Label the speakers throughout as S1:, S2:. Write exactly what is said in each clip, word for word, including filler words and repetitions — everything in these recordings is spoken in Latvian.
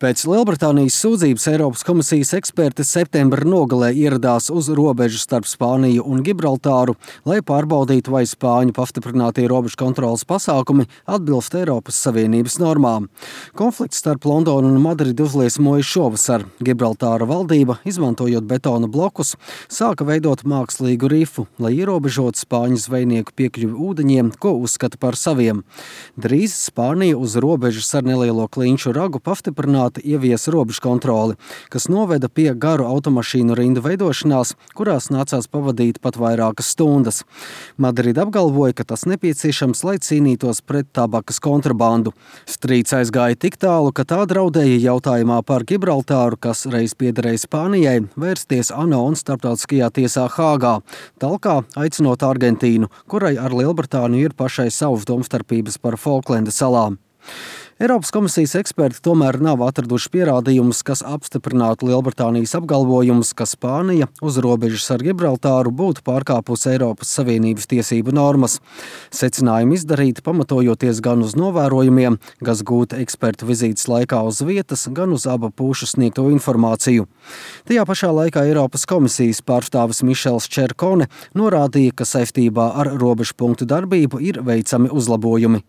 S1: Pēc Lielbritānijas sūdzības Eiropas komisijas eksperti septembra nogalē ieradās uz robežu starp Spāniju un Gibraltāru, lai pārbaudītu, vai Spāņu pastiprinātie robežu kontroles pasākumi atbilst Eiropas Savienības normām. Konflikts starp Londonu un Madridi uzliesmoja šovasar. Gibraltāra valdība, izmantojot betona blokus, sāka veidot mākslīgu rifu, lai ierobežotu spāņu zvejnieku piekļuvi ūdeņiem, ko uzskata par saviem. Drīz Spānija uz robežas ar nelielo klinšu ragu pastiprināta ievies robežu kontroli, kas noveda pie garu automašīnu rindu veidošanās, kurās nācās pavadīt pat vairākas stundas. Madrida apgalvoja, ka tas nepieciešams, lai cīnītos pret tabakas kontrabandu. Strīds aizgāja tik tālu, ka tā draudēja jautājumā par Gibraltāru, kas reiz piederēja Spānijai, vērsties ANO un starptautiskajā tiesā Hāgā, talkā aicinot Argentīnu, kurai ar Lielbritāniju ir pašai savas domstarpības par Folklenda salām. Eiropas komisijas eksperti tomēr nav atraduši pierādījumus, kas apstiprinātu Lielbritānijas apgalvojumus, ka Spānija uz robežas ar Gibraltāru būtu pārkāpusi Eiropas Savienības tiesību normas. Secinājumi izdarīti pamatojoties gan uz novērojumiem, kas gūti ekspertu vizītes laikā uz vietas, gan uz abu pušu sniegto informāciju. Tajā pašā laikā Eiropas komisijas pārstāvis Mišels Čerkone norādīja, ka saistībā ar robežu punktu darbību ir veicami uzlabojumi.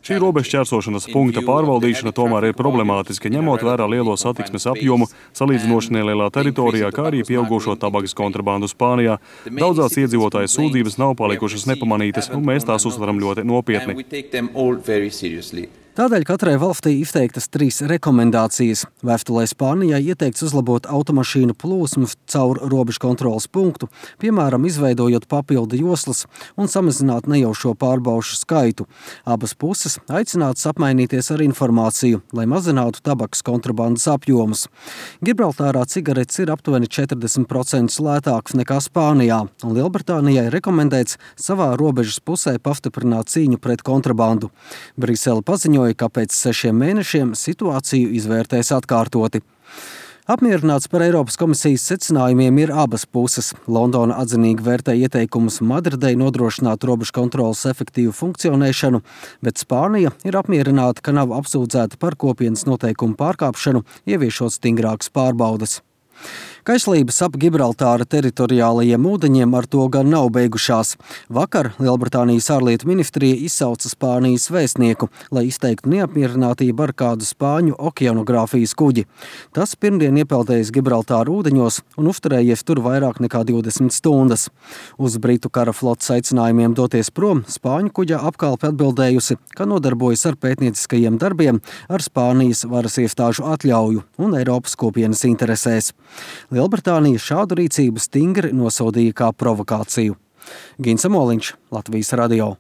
S2: Šī robežu šķērsošanas punkta pārvaldīšana tomēr ir problemātiska, ņemot vērā lielo satiksmes apjomu, salīdzinoši nelielā teritorijā, kā arī pieaugušo tabakas kontrabandu Spānijā. Daudzās iedzīvotāju sūdzības nav palikušas nepamanītas, un mēs tās uztveram ļoti nopietni.
S1: Tādēļ katrai valstī izteiktas trīs rekomendācijas. Vēstulē Spānijai ieteikts uzlabot automašīnu plūsmu caur robežu kontroles punktu, piemēram, izveidojot papildu joslas un samazināt nejaušo pārbaušu skaitu. Abas puses aicinātas apmainīties ar informāciju, lai mazinātu tabakas kontrabandas apjomus. Gibraltārā cigaretes ir aptuveni četrdesmit procenti lētākas nekā Spānijā, un Lielbritānijai rekomendēts savā robežas pusē pastiprināt cīņu pret kontrabandu. Brisele paziņoja, ka pēc sešiem mēnešiem situāciju izvērtēs atkārtoti. Apmierināts par Eiropas komisijas secinājumiem ir abas puses. Londona atzinīgi vērtē ieteikumus Madridei nodrošināt robežu kontroles efektīvu funkcionēšanu, bet Spānija ir apmierināta, ka nav apsūdzēta par kopienas noteikumu pārkāpšanu, ieviešot stingrākas pārbaudes. Kaislības ap Gibraltāra teritoriālajiem ūdeņiem ar to gan nav beigušās. Vakar Lielbritānijas ārlietu ministrija izsauca Spānijas vēstnieku, lai izteiktu neapmierinātību ar kādu spāņu okeanogrāfijas kuģi. Tas pirmdien iepeldējis Gibraltāra ūdeņos un uzturējies tur vairāk nekā divdesmit stundas. Uz Britu kara flotes aicinājumiem doties prom spāņu kuģa apkalpe atbildējusi, ka nodarbojas ar pētnieciskajiem darbiem ar Spānijas varas iestāžu atļauju un Eiropas kopienas interesēs. Lielbritānija šādu rīcību stingri nosodīja kā provokāciju. Gins Amoliņš, Latvijas radio.